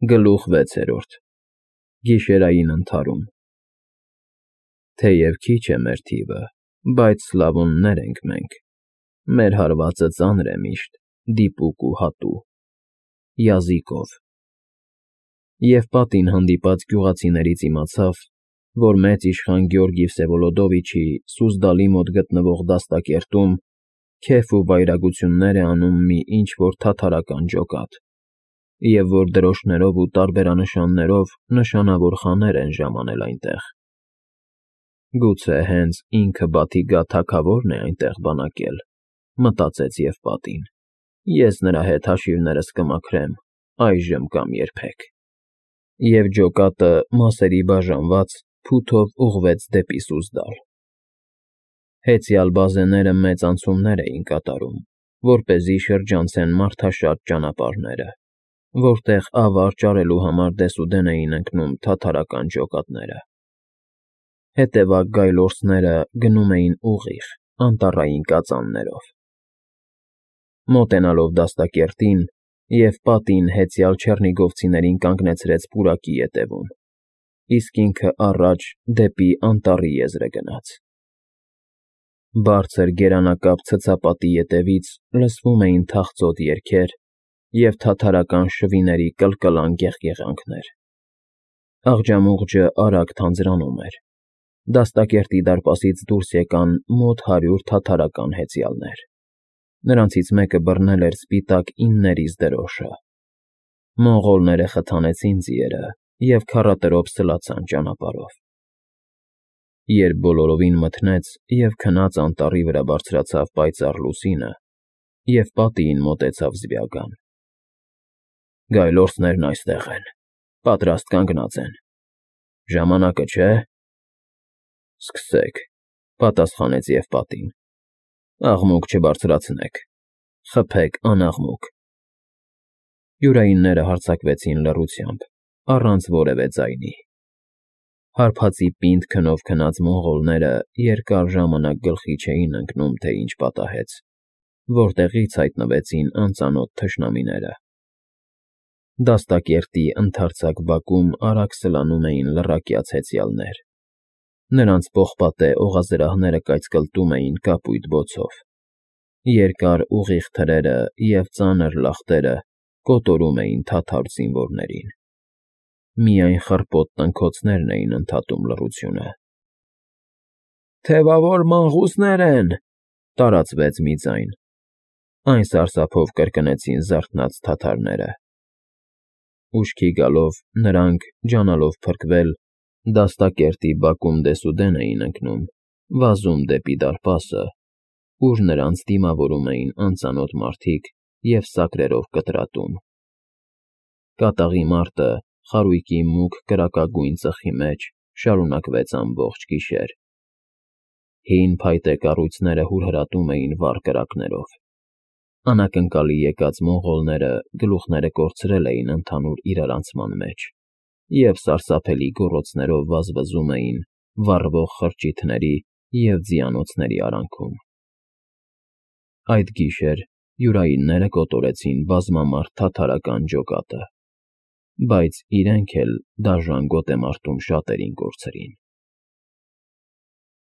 Գլուխ 6 Գիշերային ընդհարում Թեև քիչ է մեր թիվը, բայց Սլավոններ ենք մենք, մեր հարվածը ծանր է միշտ, դիպուկ ու հատու, Յազիկով։ Եվ պատին հանդիպած գյուղացիներից իմացավ, որ մեծ իշխան Գյորգի Վսևոլոդովիչի Սուզդալի մոտ գտնվող դաստակերտում քեֆ ու վայրագություններ է անում մի ինչ֊որ թաթարական ջոկատ, և որ դրոշներով ու տարբերանշաններով նշանավոր խաներ են ժամանել այնտեղ։ Գուցե հենց ինքը Բաթիգա թագավորն է այնտեղ բանակել, մտածեց Եվպատին, ես նրա հետ հաշիվներս կմաքրեմ այժմ կամ երբեք։ Եվ ջոկատը, մասերի բաժանված, փութով ուղղվեց դեպի Սուզդալ։ Հեծյալ բազեները մեծ անցումներ էին կատարում, որպեսզի շրջանցեն մարդաշատ ճանապարհները, որտեղ ավար ճարելու համար դեսուդեն էին ընկնում թաթարական ջոկատները։ Հետևակ գայլորցները գնում էին ուղիղ, անտառային կածաններով։ Մոտենալով դաստակերտին, Եվպատին հեծյալ չեռնիգովցիներին կանգնեցրեց պուրակի ետևում, իսկ ինքը առաջ դեպի անտառի եզրը գնաց։ Բարձր գերանակապ ցցապատի ետևից լսվում էին թախծոտ երգեր և թաթարական շվիների կլկլան գեղգեղանքներ։ Աղջամուղջը արագ թանձրանում էր։ Դաստակերտի դարպասից դուրս եկան մոտ 100 թաթարական հեծյալներ։ Նրանցից մեկը բռնել էր սպիտակ իններից դրոշը։ Մոնղոլները խթանեցին ձիերը և քառատրոփ սլացան ճանապարհով։ Երբ բոլորովին մթնեց և քնած անտառի վրա բարձրացավ պայծառ լուսինը, Եվպատիին մոտեցավ Զբյագան։ Գայլորցներն այստեղ են, պատրաստ կանգնած են, ժամանակը չէ՞։ Սկսեք, պատասխանեց Եվպատին, աղմուկ չբարձրացնեք, խփեք անաղմուկ։ Յուրայինները հարձակվեցին լռությամբ, առանց որևէ ձայնի։ Հարբածի պինդ քնով քնած մոնղոլները երկար ժամանակ գլխի չէին ընկնում, թե ինչ պատահեց, որտեղից հայտնվեցին անծանոթ թշնամիները։ Դաստակերտի ընդարձակ բակում արագ սլանում էին լռակյաց հեծյալներ։ Նրանց պողպատե օղազրահները կայծկլտում էին կապույտ բոցով։ Երկար ուղիղ թրերը և ծանր լախտերը կոտորում էին թաթար զինվորներին։ Միայն խռպոտ տնքոցներն էին ընդհատում լռությունը։ «Թևավոր մանկուսներ են,» տարածվեց մի ձայն։ Այն սարսափով կրկնեցին զարթնած թաթարները։ Ուշքի գալով նրանք, ջանալով փրկվել, դաստակերտի բակում դեսուդեն էին ընկնում, վազում դեպի դարպասը, ուր նրանց դիմավորում էին անծանոթ մարդիկ և սակրերով կտրատում։ Կատաղի մարտը, խարույկի մուգ կրակագույն ծխի մեջ, շարունակվեց ամբողջ գիշեր։ Հին փայտե կառույցները հուրհրատում էին վառ կրակներով։ Անակնկալի եկած մոնղոլները գլուխները կորցրել էին ընդհանուր իրարանցման մեջ և սարսափելի գոռոցներով վազվզում էին վառվող խրճիթների և ձիանոցների արանքում։ Այդ գիշեր յուրայինները կոտորեցին բազմամարդ թաթարական ջոկատը, բայց իրենք էլ դաժան գոտեմարտում շատերին կորցրին։